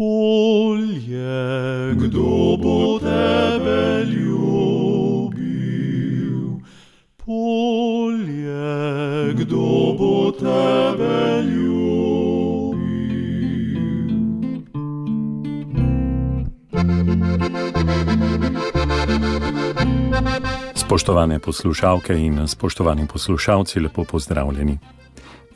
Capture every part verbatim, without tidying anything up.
Polje, kdo bo tebe ljubil? Polje, kdo bo tebe ljubil? Spoštovane poslušalke in spoštovani poslušalci, lepo pozdravljeni.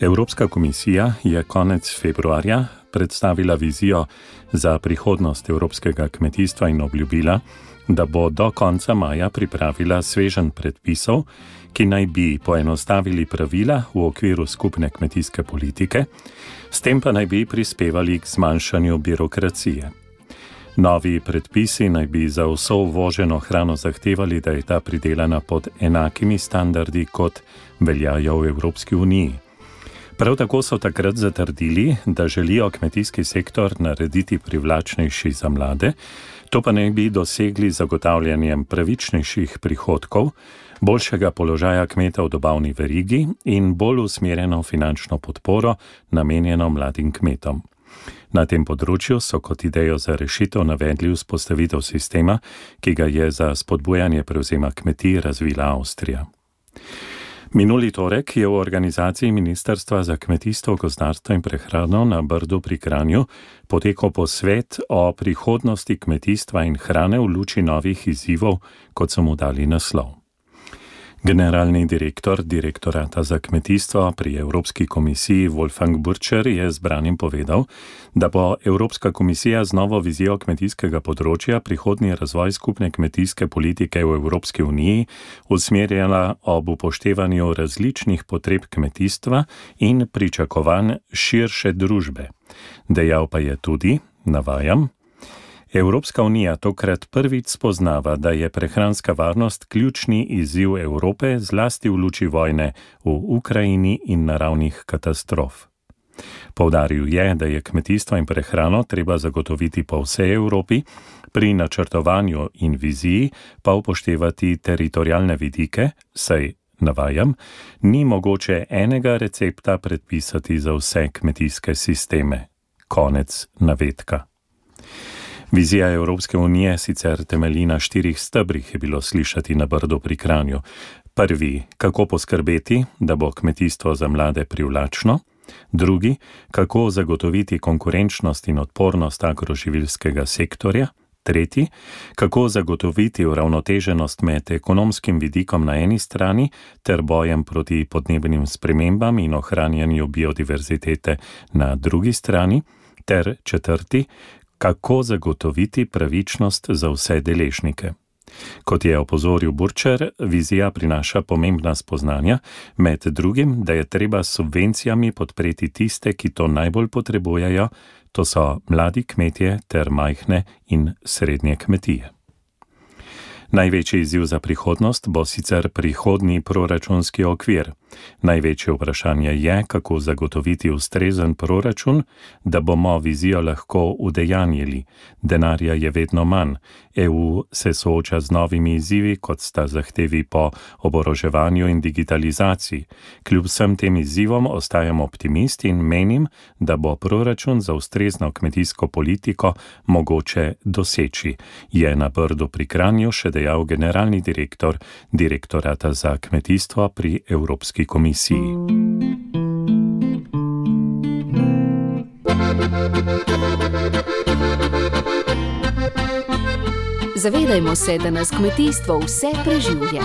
Evropska komisija je konec februarja predstavila vizijo za prihodnost evropskega kmetijstva in obljubila, da bo do konca maja pripravila sveženj predpisov, ki naj bi poenostavili pravila v okviru skupne kmetijske politike, s tem pa naj bi prispevali k zmanjšanju birokracije. Novi predpisi naj bi za vso uvoženo hrano zahtevali, da je ta pridelana pod enakimi standardi, kot veljajo v Evropski uniji. Prav tako so takrat zatrdili, da želijo kmetijski sektor narediti privlačnejši za mlade, to pa naj bi dosegli zagotavljanjem pravičnejših prihodkov, boljšega položaja kmeta v dobavni verigi in bolj usmerjeno finančno podporo namenjeno mladim kmetom. Na tem področju so kot idejo za rešitev navedli vzpostavitev sistema, ki ga je za spodbujanje prevzema kmetij razvila Avstrija. Minuli torek je v organizaciji Ministrstva za kmetijstvo, gozdarstvo in prehrano na Brdu pri Kranju potekal posvet o prihodnosti kmetijstva in hrane v luči novih izzivov, kot so mu dali naslov. Generalni direktor Direktorata za kmetijstvo pri Evropski komisiji Wolfgang Burtscher je zbranim povedal, da bo Evropska komisija z novo vizijo kmetijskega področja prihodnji razvoj skupne kmetijske politike v Evropski uniji usmerjala ob upoštevanju različnih potreb kmetijstva in pričakovanj širše družbe. Dejal pa je tudi, navajam, Evropska unija tokrat prvič spoznava, da je prehranska varnost ključni izziv Evrope, zlasti v luči vojne v Ukrajini in naravnih katastrof. Poudaril je, da je kmetijstvo in prehrano treba zagotoviti po vsej Evropi, pri načrtovanju in viziji pa upoštevati teritorialne vidike, saj, navajam, ni mogoče enega recepta predpisati za vse kmetijske sisteme. Konec navedka. Vizija Evropske unije sicer temelji na štirih stebrih, je bilo slišati na Brdu pri Kranju. Prvi, kako poskrbeti, da bo kmetijstvo za mlade privlačno. Drugi, kako zagotoviti konkurenčnost in odpornost agroživilskega sektorja. Tretji, kako zagotoviti uravnoteženost med ekonomskim vidikom na eni strani ter bojem proti podnebnim spremembam in ohranjanju biodiverzitete na drugi strani. Ter četrti, kako zagotoviti pravičnost za vse deležnike. Kot je opozoril Burtscher, vizija prinaša pomembna spoznanja, med drugim, da je treba s subvencijami podpreti tiste, ki to najbolj potrebujejo, to so mladi kmetje ter majhne in srednje kmetije. Največji izziv za prihodnost bo sicer prihodnji proračunski okvir. Največje vprašanje je, kako zagotoviti ustrezen proračun, da bomo vizijo lahko udejanjili. Denarja je vedno manj. E U se sooča z novimi izzivi, kot sta zahtevi po oboroževanju in digitalizaciji. Kljub vsem tem izzivom ostajam optimist in menim, da bo proračun za ustrezno kmetijsko politiko mogoče doseči, je na Brdu pri Kranju še dejal generalni direktor Direktorata za kmetijstvo pri Evropski komisiji. Zavedajmo se, da nas kmetijstvo vse preživlja.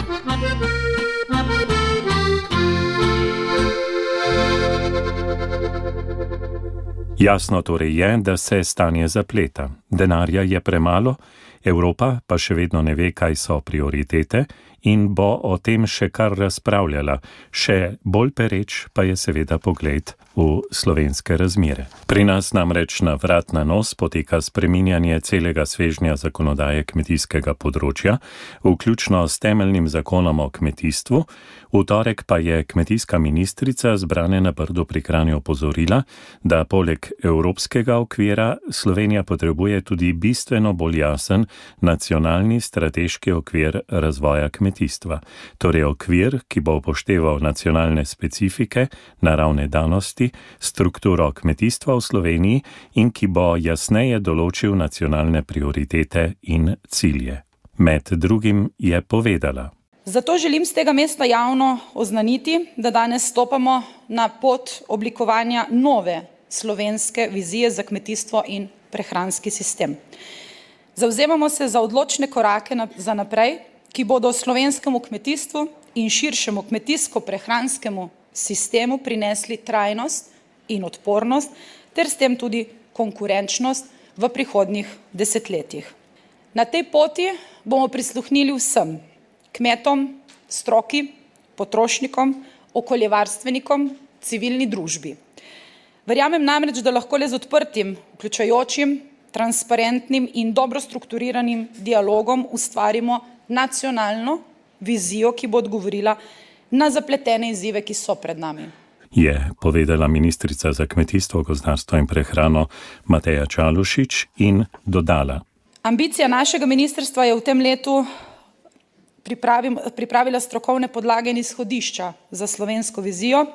Jasno torej je, da se stanje zapleta. Denarja je premalo, Evropa pa še vedno ne ve, kaj so prioritete in bo o tem še kar razpravljala. Še bolj pereč pa je seveda pogled v slovenske razmere. Pri nas namreč na vrat na nos poteka spreminjanje celega svežnja zakonodaje kmetijskega področja, vključno s temeljnim zakonom o kmetijstvu. V torek pa je kmetijska ministrica zbrane na Brdu pri Kranju opozorila, da poleg evropskega okvira Slovenija potrebuje tudi bistveno bolj jasen nacionalni strateški okvir razvoja kmetijstva, torej okvir, ki bo upošteval nacionalne specifike, naravne danosti, strukturo kmetijstva v Sloveniji in ki bo jasneje določil nacionalne prioritete in cilje. Med drugim je povedala: Zato želim z tega mesta javno oznaniti, da danes stopamo na pot oblikovanja nove slovenske vizije za kmetijstvo in prehranski sistem. Zavzemamo se za odločne korake za naprej, ki bodo slovenskemu kmetijstvu in širšemu kmetijsko-prehranskemu sistemu prinesli trajnost in odpornost, ter s tem tudi konkurenčnost v prihodnjih desetletjih. Na tej poti bomo prisluhnili vsem, kmetom, stroki, potrošnikom, okoljevarstvenikom, civilni družbi. Verjamem namreč, da lahko le z odprtim, vključujočim, transparentnim in dobro strukturiranim dialogom ustvarimo nacionalno vizijo, ki bo odgovorila na zapletene izzive, ki so pred nami. Je povedala ministrica za kmetijstvo, gozdarstvo in prehrano Mateja Čalušić in dodala: Ambicija našega ministrstva je v tem letu pripravila strokovne podlage in izhodišča za slovensko vizijo.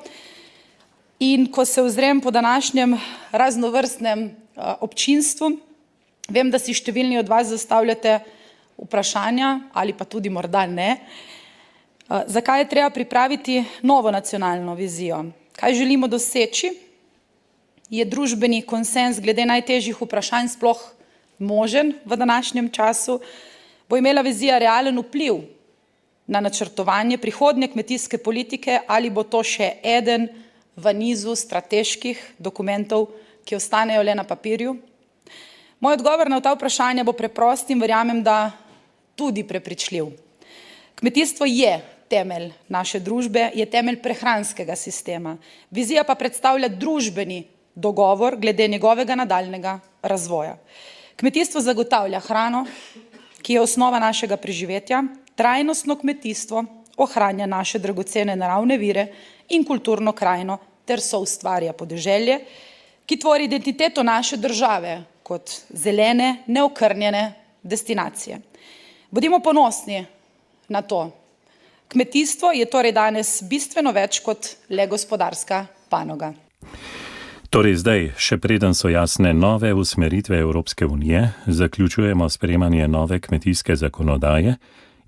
In ko se ozrem po današnjem raznovrstnem občinstvu, vem, da si številni od vas zastavljate vprašanja, ali pa tudi morda ne, zakaj je treba pripraviti novo nacionalno vizijo. Kaj želimo doseči? Je družbeni konsenz glede najtežjih vprašanj sploh možen v današnjem času? Bo imela vizija realen vpliv na načrtovanje prihodnje kmetijske politike ali bo to še eden v nizu strateških dokumentov, ki ostanejo le na papirju? Moj odgovor na ta vprašanja bo preprost in verjamem, da tudi prepričljiv. Kmetijstvo je temelj naše družbe, je temelj prehranskega sistema. Vizija pa predstavlja družbeni dogovor glede njegovega nadaljnjega razvoja. Kmetijstvo zagotavlja hrano, ki je osnova našega preživetja, trajnostno kmetijstvo ohranja naše dragocene naravne vire in kulturno krajino ter soustvarja podeželje, ki tvori identiteto naše države kot zelene, neokrnjene destinacije. Bodimo ponosni na to. Kmetijstvo je torej danes bistveno več kot le gospodarska panoga. Torej zdaj, še preden so jasne nove usmeritve Evropske unije, zaključujemo sprejemanje nove kmetijske zakonodaje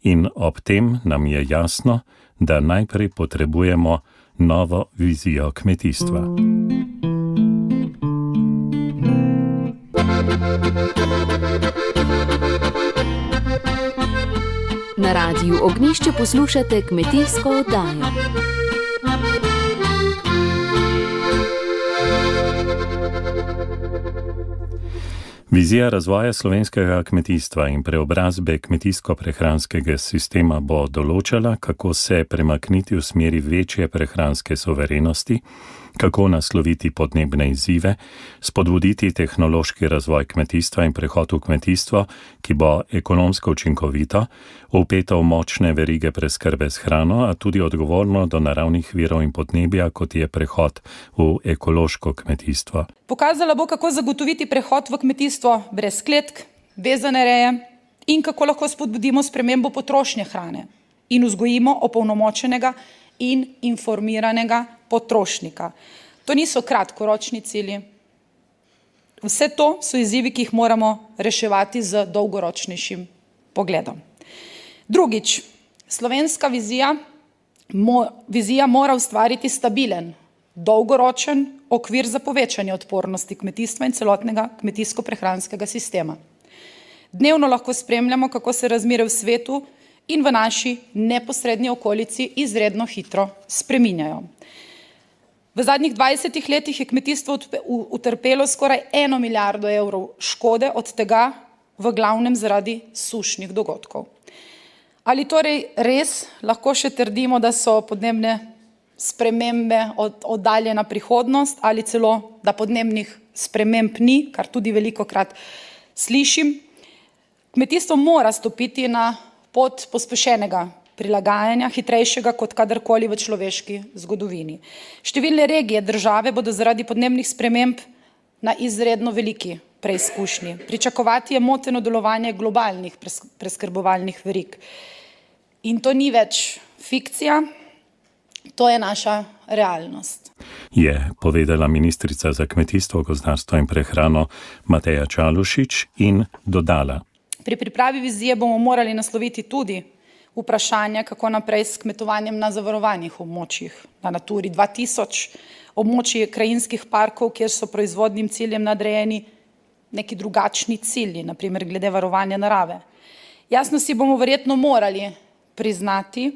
in ob tem nam je jasno, da najprej potrebujemo novo vizijo kmetijstva. Na Radiu Ognjišče poslušate kmetijsko oddajo. Vizija razvoja slovenskega kmetijstva in preobrazbe kmetijsko-prehranskega sistema bo določala, kako se premakniti v smeri večje prehranske suverenosti, kako nasloviti podnebne izzive, spodbuditi tehnološki razvoj kmetijstva in prehod v kmetijstvo, ki bo ekonomsko učinkovito, vpeto v močne verige preskrbe s hrano, a tudi odgovorno do naravnih virov in podnebja, kot je prehod v ekološko kmetijstvo. Pokazala bo, kako zagotoviti prehod v kmetijstvo brez kletk, vezane reje in kako lahko spodbudimo spremembo potrošnje hrane in vzgojimo opolnomočenega in informiranega potrošnika. To niso kratkoročni cilji. Vse to so izzivi, ki jih moramo reševati z dolgoročnejšim pogledom. Drugič, slovenska vizija, mo, vizija mora ustvariti stabilen, dolgoročen okvir za povečanje odpornosti kmetijstva in celotnega kmetijsko-prehranskega sistema. Dnevno lahko spremljamo, kako se razmere v svetu in v naši neposrednji okolici izredno hitro spreminjajo. V zadnjih dvajsetih letih je kmetijstvo utrpelo skoraj eno milijardo evrov škode, od tega v glavnem zaradi sušnih dogodkov. Ali torej res lahko še trdimo, da so podnebne spremembe oddaljena prihodnost ali celo, da podnebnih sprememb ni, kar tudi velikokrat slišim? Kmetijstvo mora stopiti na pot pospešenega prilagajanja, hitrejšega kot kadarkoli v človeški zgodovini. Številne regije države bodo zaradi podnebnih sprememb na izredno veliki preizkušnji. Pričakovati je moteno delovanje globalnih preskrbovalnih verig. In to ni več fikcija, to je naša realnost. Je povedala ministrica za kmetijstvo, gozdarstvo in prehrano Mateja Čalušić in dodala. Pri pripravi vizije bomo morali nasloviti tudi vprašanje, kako naprej s kmetovanjem na zavarovanih območjih, na Naturi dva tisoč, območji krajinskih parkov, kjer so proizvodnim ciljem nadrejeni neki drugačni cilji, na primer glede varovanja narave. Jasno si bomo verjetno morali priznati,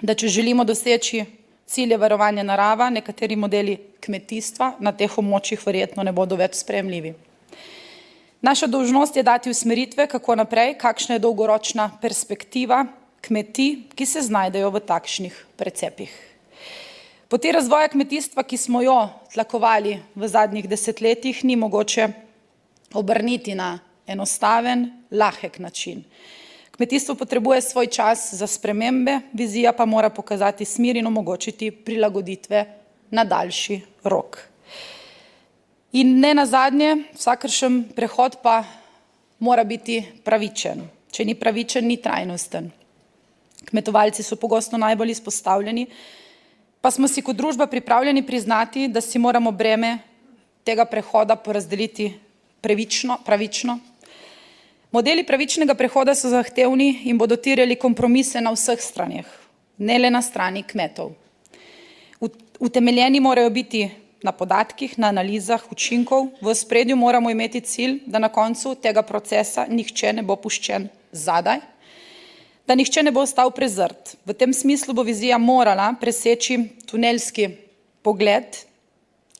da če želimo doseči cilje varovanja narava, nekateri modeli kmetijstva na teh območjih verjetno ne bodo več sprejemljivi. Naša dolžnost je dati usmeritve, kako naprej, kakšna je dolgoročna perspektiva kmetij, ki se znajdejo v takšnih precepih. Poti razvoja kmetijstva, ki smo jo tlakovali v zadnjih desetletjih, ni mogoče obrniti na enostaven, lahek način. Kmetijstvo potrebuje svoj čas za spremembe, vizija pa mora pokazati smer in omogočiti prilagoditve na daljši rok. In ne nazadnje, vsakršen prehod pa mora biti pravičen. Če ni pravičen, ni trajnosten. Kmetovalci so pogosto najbolj izpostavljeni, pa smo si kot družba pripravljeni priznati, da si moramo breme tega prehoda porazdeliti pravično, pravično. Modeli pravičnega prehoda so zahtevni in bodo terjali kompromise na vseh straneh, ne le na strani kmetov. Utemeljeni morajo biti na podatkih, na analizah učinkov, v ospredju moramo imeti cilj, da na koncu tega procesa nihče ne bo puščen zadaj, da nihče ne bo ostal prezrt. V tem smislu bo vizija morala preseči tunelski pogled,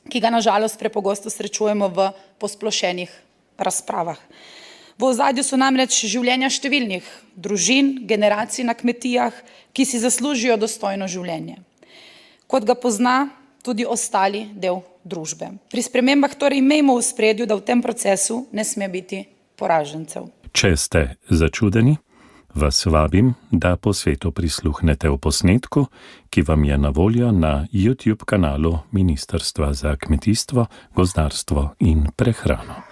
ki ga na žalost prepogosto srečujemo v posplošenih razpravah. V ozadju so namreč življenja številnih družin, generacij na kmetijah, ki si zaslužijo dostojno življenje. Kot ga pozna tudi ostali del družbe. Pri spremembah torej imejmo v spredju, da v tem procesu ne sme biti poražencev. Če ste začudeni, vas vabim, da po svetu prisluhnete v posnetku, ki vam je na voljo na YouTube kanalu Ministrstva za kmetijstvo, gozdarstvo in prehrano.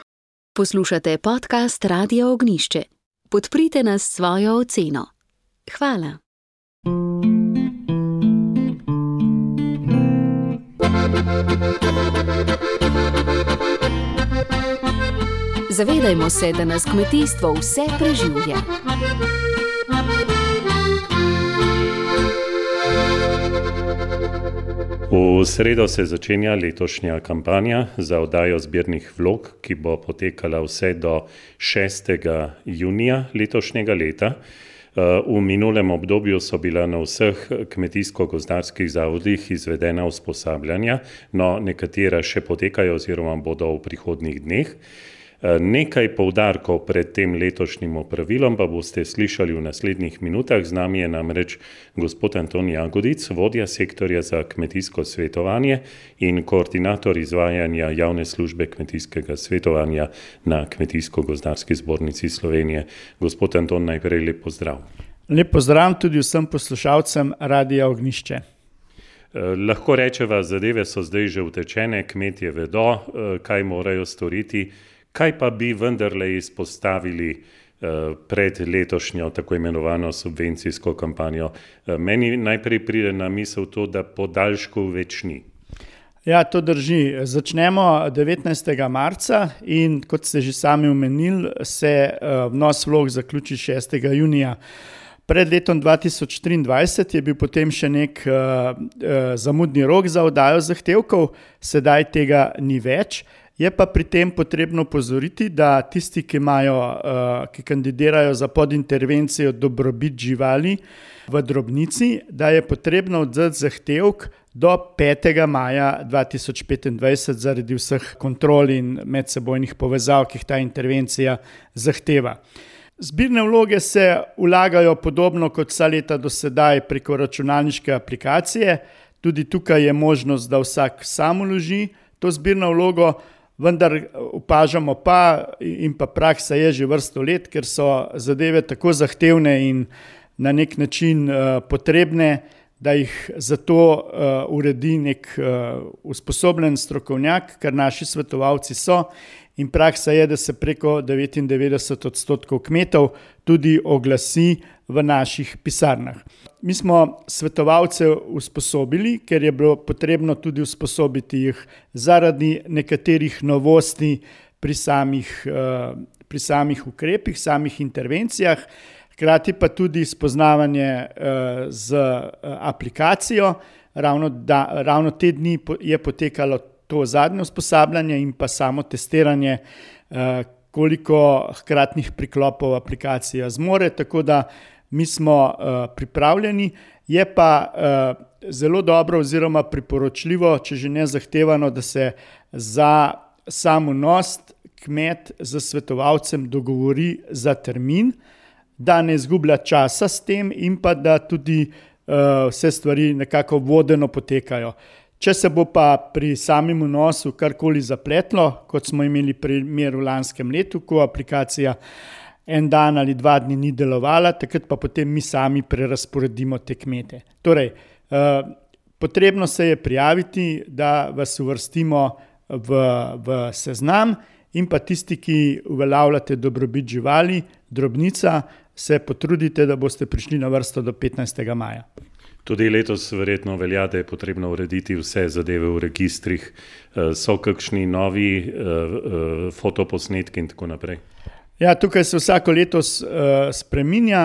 Poslušate podcast Radia Ognjišče. Podprite nas s svojo oceno. Hvala. Zavedajmo se, da nas kmetijstvo vse preživlja. V sredo se začenja letošnja kampanja za oddajo zbirnih vlog, ki bo potekala vse do šestega junija letošnjega leta. V minulem obdobju so bila na vseh kmetijsko-gozdarskih zavodih izvedena usposabljanja, no nekatera še potekajo oziroma bodo v prihodnjih dneh. Nekaj poudarkov pred tem letošnjim opravilom pa boste slišali v naslednjih minutah. Z nami je namreč gospod Anton Jagodic, vodja sektorja za kmetijsko svetovanje in koordinator izvajanja javne službe kmetijskega svetovanja na Kmetijsko-gozdarski zbornici Slovenije. Gospod Anton, najprej lep pozdrav. Lep pozdrav tudi vsem poslušalcem Radia Ognjišče. Lahko rečeva, zadeve so zdaj že utečene, kmetje vedo, kaj morajo storiti. Kaj pa bi vendarle izpostavili pred letošnjo tako imenovano subvencijsko kampanjo? Meni najprej pride na misel to, da podaljšku več ni. Ja, to drži. Začnemo devetnajstega marca in kot ste že sami omenili, se vnos vlog zaključi šestega junija. Pred letom dva tisoč triindvajset je bil potem še nek uh, uh, zamudni rok za oddajo zahtevkov, sedaj tega ni več. Je pa pri tem potrebno opozoriti, da tisti, ki imajo, uh, ki kandidirajo za podintervencijo dobrobit živali v drobnici, da je potrebno oddati zahtevek do petega maja dva tisoč petindvajset zaradi vseh kontrol in medsebojnih povezav, ki jih ta intervencija zahteva. Zbirne vloge se vlagajo podobno kot vsa leta do sedaj preko računalniške aplikacije. Tudi tukaj je možnost, da vsak sam vloži to zbirno vlogo, vendar opažamo pa in pa praksa je že vrsto let, ker so zadeve tako zahtevne in na nek način uh, potrebne, da jih zato uh, uredi nek uh, usposobljen strokovnjak, kar naši svetovalci so. in praksa je, da se preko devetindevetdeset odstotkov kmetov tudi oglasi v naših pisarnah. Mi smo svetovalce usposobili, ker je bilo potrebno tudi usposobiti jih zaradi nekaterih novosti pri samih, pri samih ukrepih, samih intervencijah, hkrati pa tudi spoznavanje z aplikacijo. Ravno, da, ravno te dni je potekalo to zadnje usposabljanje in pa samo testiranje, koliko hkratnih priklopov aplikacija zmore, tako da mi smo pripravljeni. Je pa zelo dobro oziroma priporočljivo, če že ne zahtevano, da se za sam vnos kmet z svetovalcem dogovori za termin, da ne izgublja časa s tem in pa da tudi vse stvari nekako vodeno potekajo. Če se bo pa pri samem vnosu karkoli zapletlo, kot smo imeli primer v lanskem letu, ko aplikacija en dan ali dva dni ni delovala, takrat pa potem mi sami prerazporedimo te kmete. Torej, potrebno se je prijaviti, da vas uvrstimo v, v seznam in pa tisti, ki uveljavljate dobrobit živali, drobnica, se potrudite, da boste prišli na vrsto do petnajstega maja. Tudi letos verjetno velja, da je potrebno urediti vse zadeve v registrih. So kakšni novi fotoposnetki in tako naprej? Ja, tukaj se vsako letos spreminja.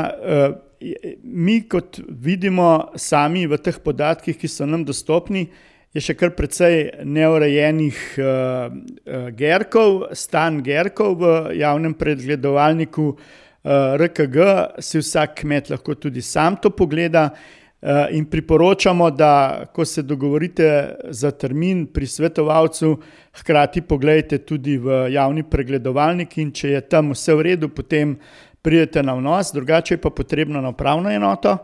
Mi, kot vidimo sami v teh podatkih, ki so nam dostopni, je še kar precej neurejenih gerkov, stan gerkov v javnem pregledovalniku R K G, si vsak kmet lahko tudi sam to pogleda in priporočamo, da ko se dogovorite za termin pri svetovalcu, hkrati pogledajte tudi v javni pregledovalnik in če je tam vse v redu, potem pridete na vnos, drugače je pa potrebno na upravno enoto.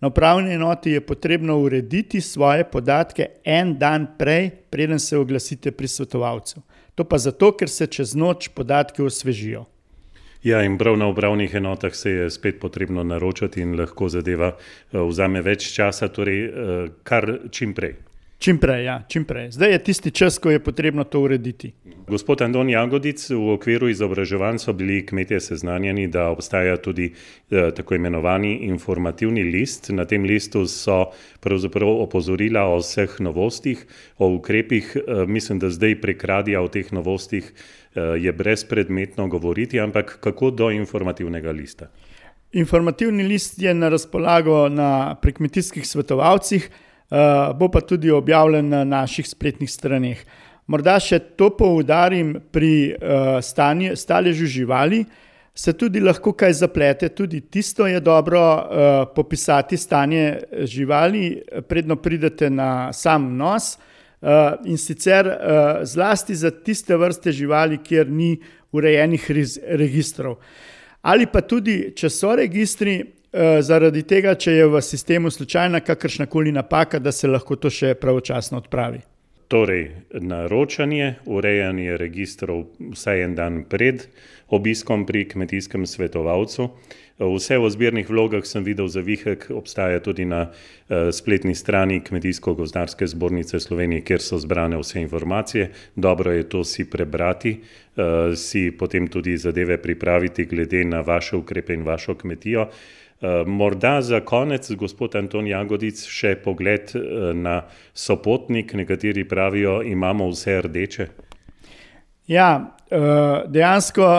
Na upravni enoti je potrebno urediti svoje podatke en dan prej, preden se oglasite pri svetovalcu. To pa zato, ker se čez noč podatke osvežijo. Ja, in prav na upravnih enotah se je spet potrebno naročati in lahko zadeva vzame več časa, torej kar čim prej. Čim prej, ja, čim prej. Zdaj je tisti čas, ko je potrebno to urediti. Gospod Anton Jagodic, v okviru izobraževanj so bili kmetje seznanjeni, da obstaja tudi eh, tako imenovani informativni list. Na tem listu so pravzaprav opozorila o vseh novostih, o ukrepih. Eh, mislim, da zdaj prek radia o teh novostih eh, je brezpredmetno govoriti, ampak kako do informativnega lista? Informativni list je na razpolago na, pri kmetijskih svetovalcih, Uh, bo pa tudi objavljen na naših spletnih straneh. Morda še to poudarim, pri uh, stanje, staležu živali se tudi lahko kaj zaplete, tudi tisto je dobro uh, popisati stanje živali, predno pridete na sam vnos uh, in sicer uh, zlasti za tiste vrste živali, kjer ni urejenih rez, registrov. Ali pa tudi, če so registri, zaradi tega, če je v sistemu slučajna kakršnakoli napaka, da se lahko to še pravočasno odpravi. Torej, naročanje, urejanje registrov vsaj en dan pred obiskom pri kmetijskem svetovalcu. Vse v zbirnih vlogah sem videl zavihek, obstaja tudi na spletni strani Kmetijsko-gozdarske zbornice Slovenije, kjer so zbrane vse informacije. Dobro je to si prebrati, si potem tudi zadeve pripraviti glede na vaše ukrepe in vašo kmetijo. Morda za konec, gospod Anton Jagodic, še pogled na Sopotnik. Nekateri pravijo, imamo vse rdeče. Ja, dejansko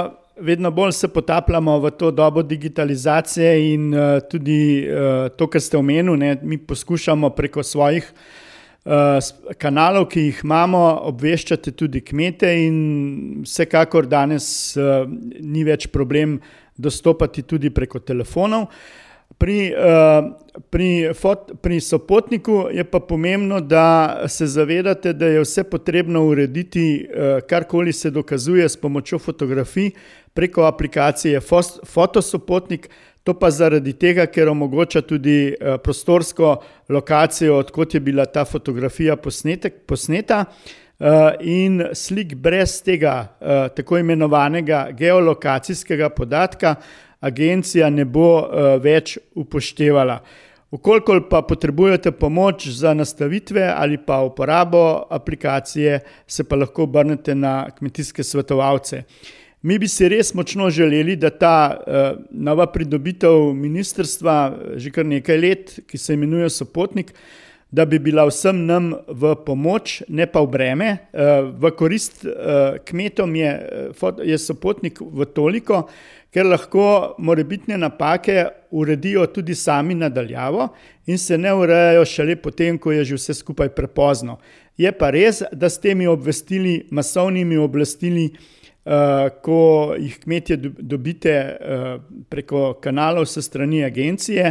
vedno bolj se potapljamo v to dobo digitalizacije in tudi to, kar ste omenili, ne, mi poskušamo preko svojih kanalov, ki jih imamo, obveščati tudi kmete in vsekakor danes ni več problem dostopati tudi preko telefonov. Pri, pri, pri Sopotniku je pa pomembno, da se zavedate, da je vse potrebno urediti, karkoli se dokazuje s pomočjo fotografij preko aplikacije Fotosopotnik. To pa zaradi tega, ker omogoča tudi prostorsko lokacijo, odkot je bila ta fotografija posnetek, posneta. In slik brez tega tako imenovanega geolokacijskega podatka agencija ne bo več upoštevala. Ukolikor pa potrebujete pomoč za nastavitve ali pa uporabo aplikacije, se pa lahko obrnete na kmetijske svetovalce. Mi bi si res močno želeli, da ta uh, nova pridobitev ministrstva že kar nekaj let, ki se imenuje Sopotnik, da bi bila vsem nam v pomoč, ne pa v breme. Uh, v korist uh, kmetom je, je Sopotnik v toliko, ker lahko morebitne napake uredijo tudi sami nadaljavo in se ne urejajo šele potem, ko je že vse skupaj prepozno. Je pa res, da s temi obvestili, masovnimi oblastili, Uh, ko jih kmetje dobite uh, preko kanalov s strani agencije,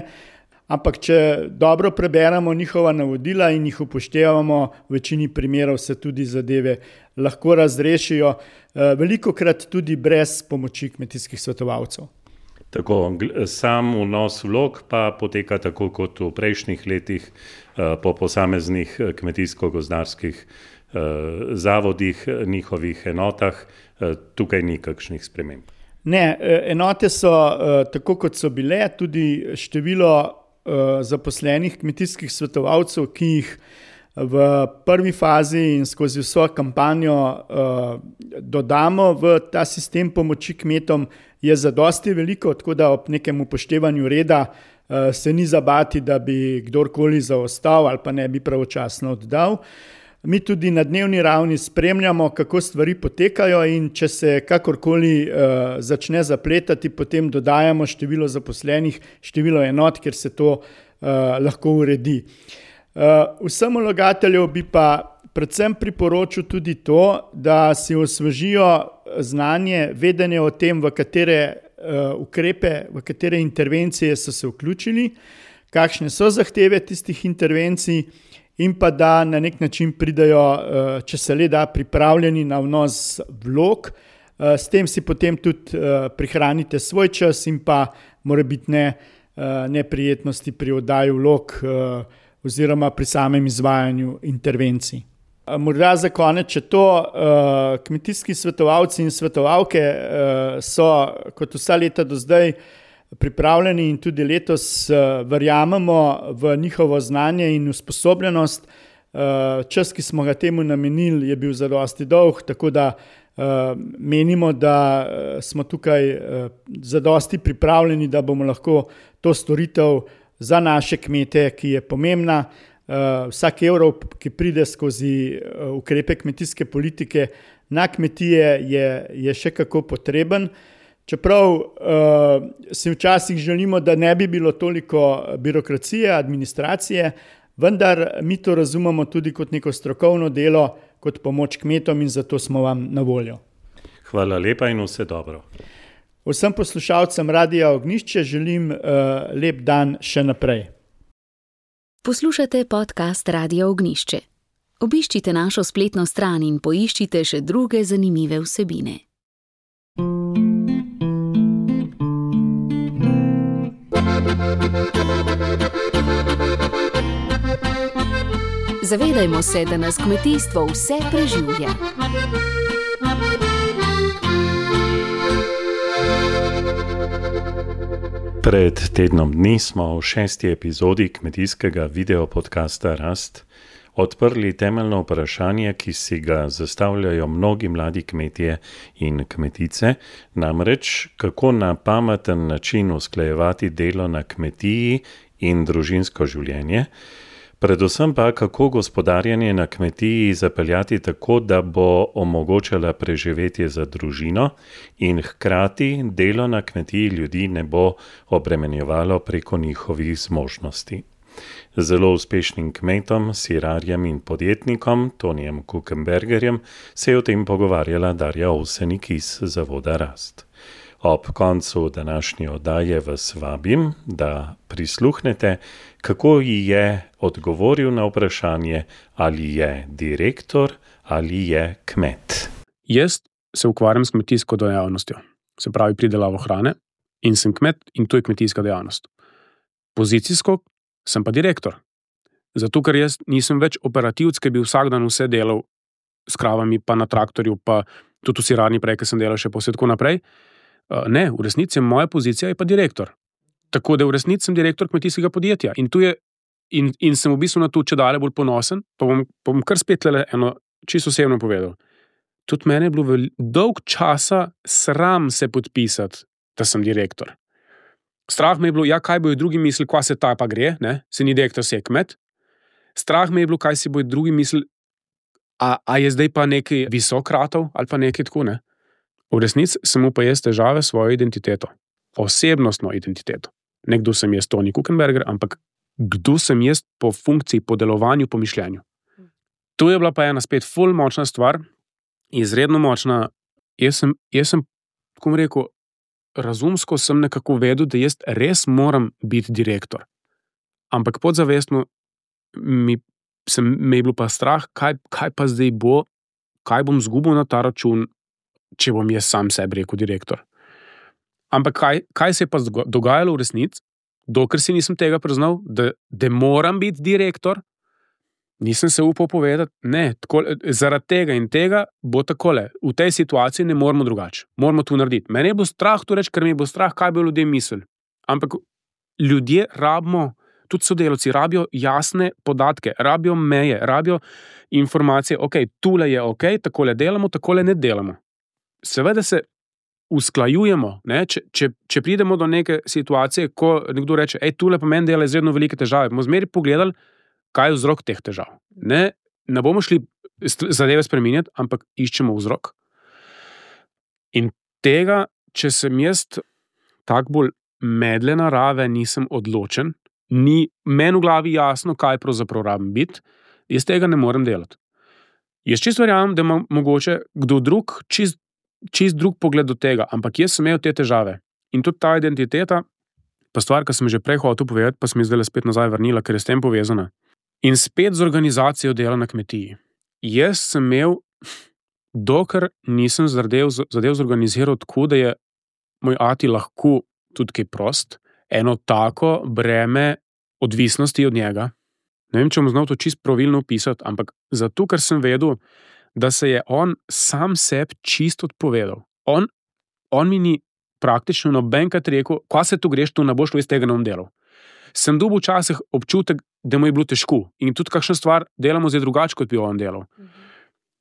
ampak če dobro preberemo njihova navodila in jih upoštevamo, v večini primerov se tudi zadeve lahko razrešijo, uh, velikokrat tudi brez pomoči kmetijskih svetovalcev. Tako, sam vnos vlog pa poteka tako kot v prejšnjih letih uh, po posameznih kmetijsko-gozdarskih uh, zavodih, njihovih enotah. Tukaj ni kakšnih sprememb. Ne, enote so tako, kot so bile, tudi število zaposlenih kmetijskih svetovalcev, ki jih v prvi fazi in skozi vso kampanjo dodamo v ta sistem pomoči kmetom, je zadosti veliko, tako da ob nekem upoštevanju reda se ni zabati, da bi kdorkoli zaostal ali pa ne bi pravočasno oddal. Mi tudi na dnevni ravni spremljamo, kako stvari potekajo in če se kakorkoli uh, začne zapletati, potem dodajamo število zaposlenih, število enot, ker se to uh, lahko uredi. Uh, vsem vlagateljev bi pa predvsem priporočil tudi to, da si osvežijo znanje, vedenje o tem, v katere uh, ukrepe, v katere intervencije so se vključili, kakšne so zahteve tistih intervencij, in pa da na nek način pridajo, če se le da, pripravljeni na vnos vlog. S tem si potem tudi prihranite svoj čas in pa morebitne neprijetnosti pri oddaji vlog oziroma pri samem izvajanju intervencij. Morda za konec, če to kmetijski svetovalci in svetovalke so kot vsa leta do zdaj pripravljeni in tudi letos uh, verjamemo v njihovo znanje in usposobljenost. Uh, čas, ki smo ga temu namenili, je bil zadosti dolg, tako da uh, menimo, da uh, smo tukaj uh, zadosti pripravljeni, da bomo lahko to storitev za naše kmete, ki je pomembna. Uh, vsak evro, ki pride skozi uh, ukrepe kmetijske politike na kmetije, je, je še kako potreben. Čeprav uh, si včasih želimo, da ne bi bilo toliko birokracije, administracije, vendar mi to razumemo tudi kot neko strokovno delo, kot pomoč kmetom in zato smo vam na voljo. Hvala lepa in vse dobro. Vsem poslušalcem Radia Ognjišče želim uh, lep dan še naprej. Poslušate podcast Radia Ognjišče. Obiščite našo spletno stran in poiščite še druge zanimive vsebine. Zavedajmo se, da nas kmetijstvo vse preživlja. Pred tednom dni smo v šesti epizodi kmetijskega videopodcasta Rast odprli temeljno vprašanje, ki si ga zastavljajo mnogi mladi kmetje in kmetice, namreč kako na pameten način usklajevati delo na kmetiji in družinsko življenje, predvsem pa kako gospodarjenje na kmetiji zapeljati tako, da bo omogočala preživetje za družino in hkrati delo na kmetiji ljudi ne bo obremenjevalo preko njihovih zmožnosti. Zelo uspešnim kmetom, sirarjem in podjetnikom Tonijem Kukenbergerjem se je o tem pogovarjala Darja Ovsenik iz Zavoda Rast. Ob koncu današnje oddaje vas vabim, da prisluhnete, kako ji je odgovoril na vprašanje, ali je direktor ali je kmet. Jaz se ukvarjam s kmetijsko dejavnostjo, se pravi pridelavo hrane, in sem kmet in to je kmetijska dejavnost. Pozicijsko sem pa direktor. Zato, ker jaz nisem več operativc, ki bi vsak dan vse delal s kravami, pa na traktorju, pa tudi v sirarni prej, ki sem delal še posebej tako naprej. Ne, v resnici moja pozicija je pa direktor. Tako da v resnici sem direktor kmetijskega podjetja in, tu je, in, in sem v bistvu na to čedalje bolj ponosen, pa bom, pa bom kar spet le eno čisto osebno povedal. Tudi mene je bilo vel, dolg časa sram se podpisati, da sem direktor. Strah me je bilo, ja, kaj bojo drugi mislili, kva se ta pa gre, ne? Se ni direktor, se je kmet. Strah me je bilo, kaj si bojo drugi mislili, a, a je zdaj pa neki visok ratov ali pa nekaj tako, ne? V resnici sem mu pa jaz težave s svojo identiteto. Osebnostno identiteto. Nekdo sem jaz Toni Kukenberger, ampak kdo sem jaz po funkciji, po delovanju, po mišljenju. To je bila pa ena spet ful močna stvar, izredno močna. Jaz sem, jaz sem, tako bom rekel, razumsko sem nekako vedel, da jaz res moram biti direktor. Ampak podzavestno mi, sem, me je bilo pa strah, kaj, kaj pa zdaj bo, kaj bom zgubil na ta račun, če bom jaz sam sebi rekel direktor. Ampak kaj, kaj se je pa dogajalo v resnici, dokler si nisem tega priznal, da, da moram biti direktor, nisem se upal povedati, ne, tako, zaradi tega in tega bo takole, v tej situaciji ne moramo drugače, moramo to narediti. Mene je bilo strah to reči, ker mi je bilo strah, kaj bi ljudje mislili. Ampak ljudje rabimo, tudi sodelavci, rabijo jasne podatke, rabijo meje, rabijo informacije, ok, tule je ok, takole delamo, takole ne delamo. Seveda se usklajujemo, ne? Če, če, če pridemo do neke situacije, ko nekdo reče, ej, tule pa meni dela izredno velike težave, bomo zmeri pogledali, kaj je vzrok teh težav. Ne, ne bomo šli zadeve spreminjati, ampak iščemo vzrok. In tega, če sem jaz tak bolj medle narave, nisem odločen, ni meni v glavi jasno, kaj pravzaprav rabim biti, jaz tega ne morem delati. Jaz čisto verjamem, da ima mogoče kdo drug čist čist drug pogled do tega, ampak jaz sem imel te težave. In tudi ta identiteta, pa stvar, ki sem že prej hotel povedati, pa sem mi zdaj spet nazaj vrnila, ker je s tem povezana. In spet z organizacijo dela na kmetiji. Jaz sem imel, dokler nisem zadev, zadev zorganiziral tako, da je moj ati lahko tudi kaj prost, eno tako breme odvisnosti od njega. Ne vem, če bom znal to čist pravilno opisati, ampak zato, ker sem vedel, da se je on sam sebi čist odpovedal. On, on mi ni praktično nobenkrat rekel, kva se tu greš, tu ne boš iz tega ne bom delal. Sem dobil včasih občutek, da mu je bilo težko in tudi kakšna stvar delamo zdaj drugače, kot bi on delal.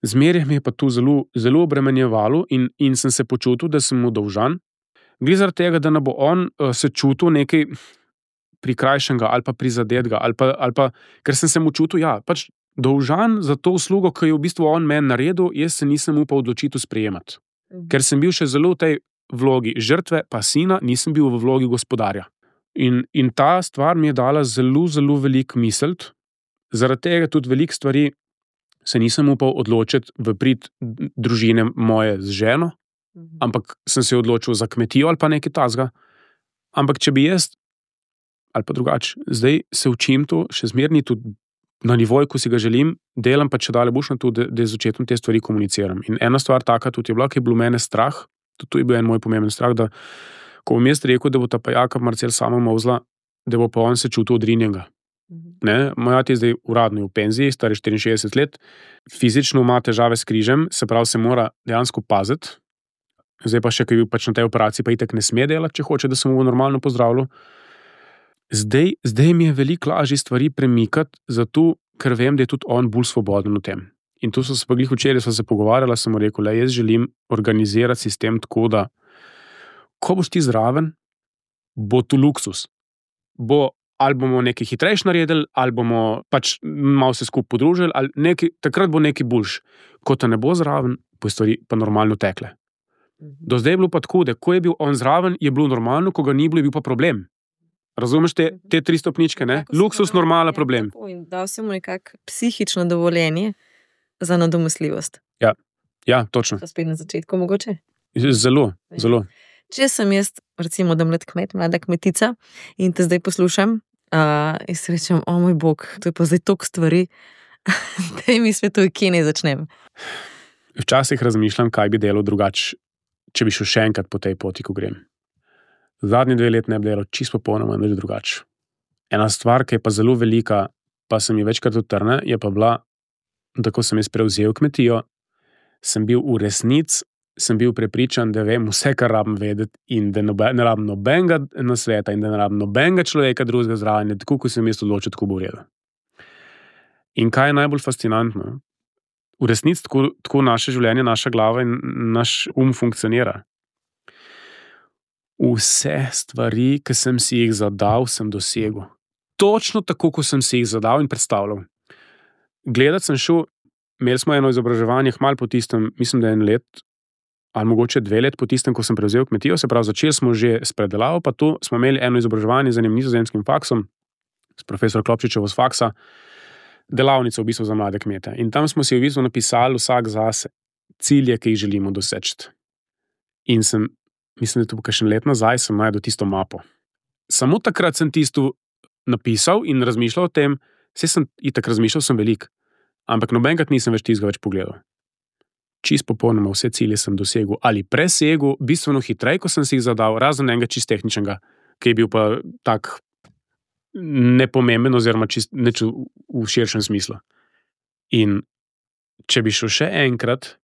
Zmeraj mi je pa to zelo, zelo obremenjevalo in, in sem se počutil, da sem mu dolžan. Gre zaradi tega, da ne bo on uh, se čutil nekaj prikrajšenega ali pa prizadetega, ali pa, ali pa, ker sem se mu čutil, ja, pač dolžan za to uslugo, ki je v bistvu on meni naredil, jaz se nisem upal odločitev sprejemati. Mhm. Ker sem bil še zelo v tej vlogi žrtve, pa sina, nisem bil v vlogi gospodarja. In, in ta stvar mi je dala zelo, zelo veliko misliti, zaradi tega tudi veliko stvari se nisem upal odločiti v prid družine moje z ženo, mhm. ampak sem se odločil za kmetijo ali pa nekaj tazga. Ampak če bi jaz, ali pa drugače, zdaj se učim to, še zmerni tudi na nivoju, ko si ga želim, delam pa če dalje boš na to, da, da z očetom te stvari komuniciram. In ena stvar taka tudi je bila, ki je bilo mene strah, tudi to je bil en moj pomemben strah, da ko bom jaz rekel, da bo ta pa Jaka Marcel sama mozla, da bo pa on se čutil odrinjenega. Ne? Moj ati je zdaj uradno v penziji, star je štiriinšestdeset let, fizično ima težave s križem, se pravi, se mora dejansko paziti. Zdaj pa še, ki je bil pač na tej operaciji, pa itak ne sme delati, če hoče, da se mu normalno pozdravlja. Zdaj, zdaj mi je veliko lažje stvari premikati, zato, ker vem, da je tudi on bolj svoboden v tem. In tu so se pa glih včeraj, so se pogovarjala, sem mu rekel, le, jaz želim organizirati sistem tako, da ko boš ti zraven, bo tu luksus. Bo, ali bomo nekaj hitrejš naredili, ali bomo pač malo se skupaj podružili, ali nekaj, takrat bo nekaj boljš. Ko te ne bo zraven, bo stvari pa normalno tekle. Do zdaj je bilo pa tako, da ko je bil on zraven, je bilo normalno, ko ga ni bilo, je bil pa problem. Razumeš te, te tri stopničke, ne? Luksus, normalen problem. In dal si mu nekak psihično dovoljenje za nadomestljivost. Ja, ja, točno. To spet na začetku mogoče? Zelo, zelo. Če sem jaz, recimo, da mlad kmet, mlada kmetica in te zdaj poslušam uh, in se rečem, o moj bog, to je pa zdaj toliko stvari, da mi svetuj, kje ne začnem. Včasih razmišljam, kaj bi delal drugače, če bi šel še enkrat po tej poti, ko grem. Zadnji dve let ne bi delal čisto popolnoma nič drugače. Ena stvar, ki je pa zelo velika, pa se mi večkrat utrne, je pa bila, da ko sem jaz prevzel kmetijo, sem bil v resnici sem bil prepričan, da vem vse, kar rabim vedeti in da ne rabim nobenega nasveta in da ne rabim nobenega človeka drugega zraven, tako kot sem jaz odločil, tako bo v redu. In kaj je najbolj fascinantno? V resnici tako, tako naše življenje, naša glava in naš um funkcionira. Vse stvari, ki sem si jih zadal, sem dosegel. Točno tako, kot sem si jih zadal in predstavljal. Gledati sem šel, imeli smo eno izobraževanje, malo po tistem, mislim, da je en let, ali mogoče dve let po tistem, ko sem prevzel kmetijo, se pravi, začeli smo že s predelavo, pa tu smo imeli eno izobraževanje z enim nizozemskim faksom, s profesor Klopčičevo z faksa, delavnico v bistvu za mlade kmete. In tam smo si v bistvu napisali vsak zase cilje, ki jih želimo doseči. In sem, mislim, da to bo kakšen let nazaj, sem najdel tisto mapo. Samo takrat sem tisto napisal in razmišljal o tem, vse sem itak razmišljal, sem velik, ampak nobenkrat nisem več tistega več pogledal. Čist popolnoma vse cilje sem dosegel ali presegel, bistveno hitreje, ko sem si jih zadal, razen enega čist tehničnega, ki je bil pa tak nepomemben oziroma čist neč v širšem smislu. In če bi šel še enkrat,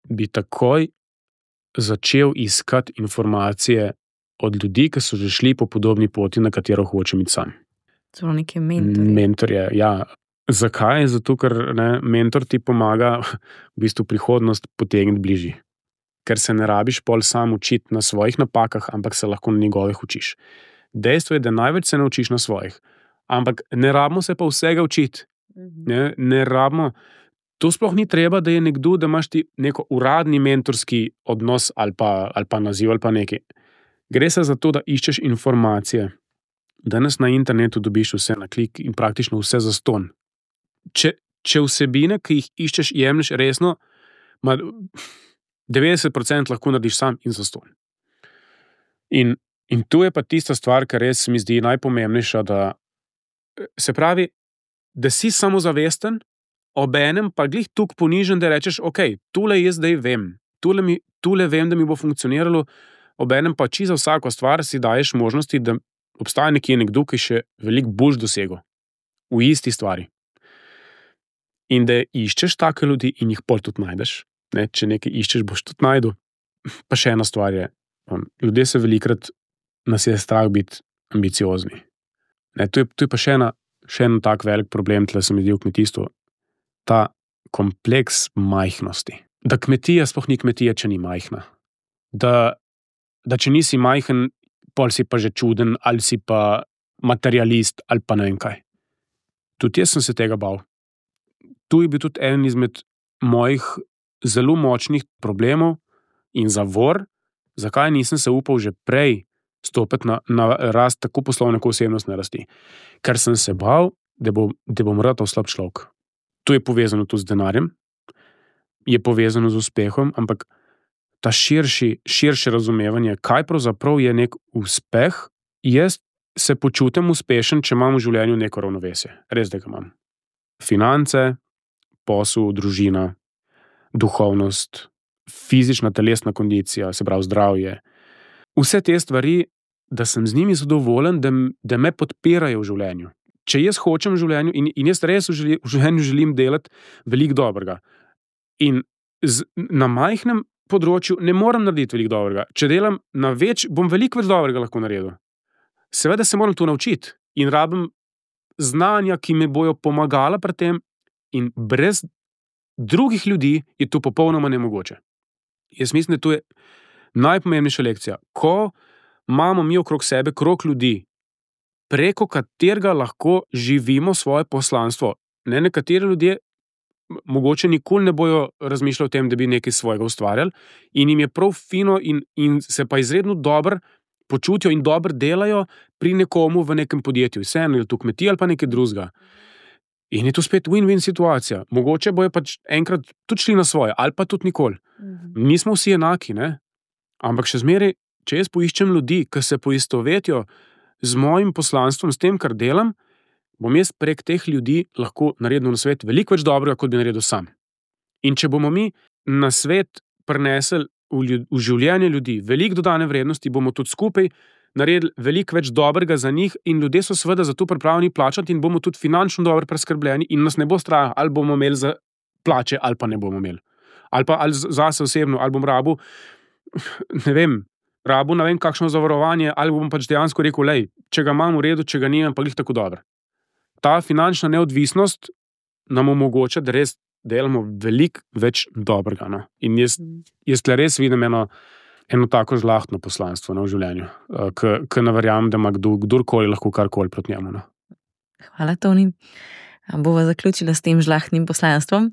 bi takoj začel iskati informacije od ljudi, ki so že šli po podobni poti, na katero hočem iti sam. Celo neke mentorje. Mentorje, ja. Zakaj? Zato, ker ne, mentor ti pomaga v bistvu prihodnost potegniti bližji. Ker se ne rabiš pol sam učiti na svojih napakah, ampak se lahko na njegovih učiš. Dejstvo je, da največ se ne učiš na svojih. Ampak ne rabimo se pa vsega učiti. Ne, ne rabimo. To sploh ni treba, da je nekdo, da imaš ti neko uradni mentorski odnos ali pa, ali pa naziv ali pa nekaj. Gre se za to, da iščeš informacije. Danes na internetu dobiš vse na klik in praktično vse zastonj. Če, če vsebine, ki jih iščeš, jemliš resno, ma devetdeset procentov lahko narediš sam in zastonj. In, in tu je pa tista stvar, kar res mi zdi najpomembnejša, da se pravi, da si samozavesten, obenem pa glih tuk ponižen, da rečeš, ok, tule jaz zdaj vem, tule, mi, tule vem, da mi bo funkcioniralo, obenem pa či za vsako stvar si daješ možnosti, da obstaja nekje nekdo, ki še veliko bolj dosegel v isti stvari. In da iščeš take ljudi in jih pol tudi najdeš. Ne, če nekaj iščeš, boš tudi najdu. Pa še ena stvar je, ljudje se velikrat nas je strah biti ambiciozni. Ne, to, je, to je pa še, ena, še en tak velik problem, tle se mi zdi v kmetijstvu. Ta kompleks majhnosti. Da kmetija sploh ni kmetija, če ni majhna. Da, da če nisi majhen, pol si pa že čuden, ali si pa materialist, ali pa ne vem kaj. Tudi jaz sem se tega bal. Tu je bil tudi en izmed mojih zelo močnih problemov in zavor, zakaj nisem se upal že prej stopiti na, na rast tako poslovne, kot osebnostne rasti. Ker sem se bal, da, bo, da bom ratal slab človek. To je povezano tudi z denarjem, je povezano z uspehom, ampak ta širši, širše razumevanje, kaj pravzaprav je nek uspeh, jaz se počutim uspešen, če imam v življenju neko ravnovesje. Res, da ga imam. Finance, posel, družina, duhovnost, fizična, telesna kondicija, se pravi zdravje. Vse te stvari, da sem z njimi zadovoljen, da, da me podpirajo v življenju. Če jaz hočem v življenju in, in jaz res v, želi, v življenju želim delati veliko dobrega. In z, na majhnem področju ne morem narediti veliko dobrega. Če delam na več, bom veliko več dobrega lahko naredil. Seveda se moram to naučiti in rabim znanja, ki me bojo pomagala pri tem, in brez drugih ljudi je to popolnoma nemogoče. Jaz mislim, da to je najpomembnejša lekcija. Ko imamo mi okrog sebe krog ljudi, preko katerega lahko živimo svoje poslanstvo. Ne, nekateri ljudje mogoče nikoli ne bojo razmišljali o tem, da bi nekaj svojega ustvarjali in jim je prav fino in, in se pa izredno dobro počutijo in dobro delajo pri nekomu v nekem podjetju. Vseeno, ali to kmetija ali pa nekaj drugega. In je to spet win-win situacija. Mogoče bojo pač enkrat tudi šli na svoje, ali pa tudi nikoli. Mhm. Nismo vsi enaki, ne? Ampak še zmeraj, če jaz poiščem ljudi, ki se poistovetijo z mojim poslanstvom, s tem, kar delam, bom jaz prek teh ljudi lahko naredil na svet veliko več dobrega, kot bi naredil sam. In če bomo mi na svet prinesli v, ljud, v življenje ljudi veliko dodane vrednosti, bomo tudi skupaj naredili veliko več dobrega za njih in ljudje so seveda za to pripravljeni plačati in bomo tudi finančno dobro preskrbljeni in nas ne bo strah, ali bomo imeli za plače, ali pa ne bomo imeli. Ali pa ali zase osebno, ali bom rabu, ne vem, rabu, ne vem, kakšno zavarovanje, ali bom pač dejansko rekel, lej, če ga imam v redu, če ga nimam, pa glih tako dobro. Ta finančna neodvisnost nam omogoča, da res delamo veliko več dobrega. No? In jaz, jaz tle res vidim eno, eno tako žlahtno poslanstvo, no, v življenju, ki ne verjamem, da ima kdo, kdorkoli lahko karkoli proti njemu. No. Hvala, Toni. Bova zaključila s tem žlahtnim poslanstvom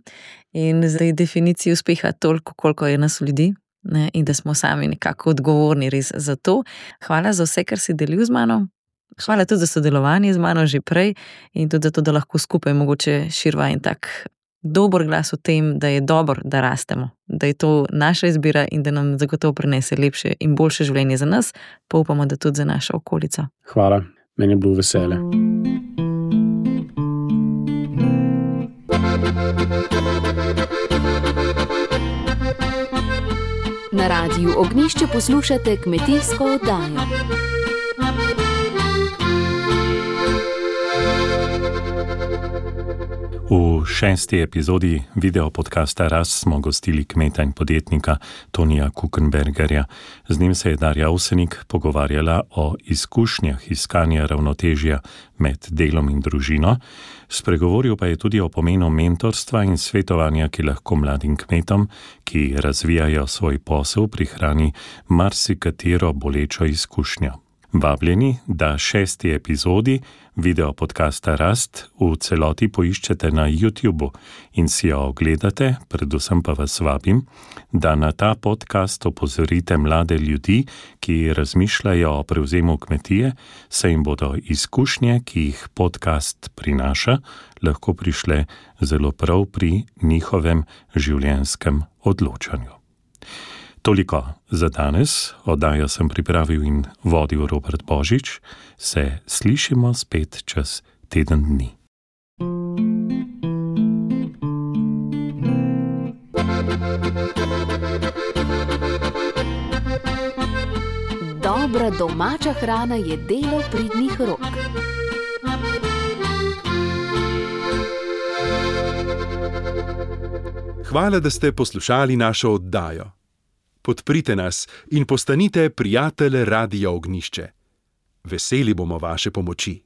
in zdaj definiciji uspeha toliko, koliko je nas ljudi, ne, in da smo sami nekako odgovorni res za to. Hvala za vse, kar si delil z mano. Hvala tudi za sodelovanje z mano že prej in tudi za to, da lahko skupaj mogoče širva in tak dober glas o tem, da je dobro, da rastemo, da je to naša izbira in da nam zagotovo prinese lepše in boljše življenje za nas, pa upamo, da tudi za našo okolico. Hvala, meni je bilo veselje. Na Radiu Ognjišče poslušate kmetijsko oddajo. V šesti epizodi video podcasta Rast smo gostili kmeta in podjetnika Tonija Kukenbergerja. Z njim se je Darja Avsenik pogovarjala o izkušnjah iskanja ravnotežja med delom in družino. Spregovoril pa je tudi o pomenu mentorstva in svetovanja, ki lahko mladim kmetom, ki razvijajo svoj posel, prihrani marsikatero bolečo izkušnjo. Vabljeni, da šesti epizodi video podcasta Rast v celoti poiščete na YouTubu in si jo ogledate, predvsem pa vas vabim, da na ta podcast opozorite mlade ljudi, ki razmišljajo o prevzemu kmetije, saj jim bodo izkušnje, ki jih podcast prinaša, lahko prišle zelo prav pri njihovem življenjskem odločanju. Toliko za danes, oddajo sem pripravil in vodil Robert Božič, se slišimo spet čez teden dni. Dobra domača hrana je delo pridnih rok. Hvala, da ste poslušali našo oddajo. Podprite nas in postanite prijatelj Radia Ognjišče. Veseli bomo vaše pomoči.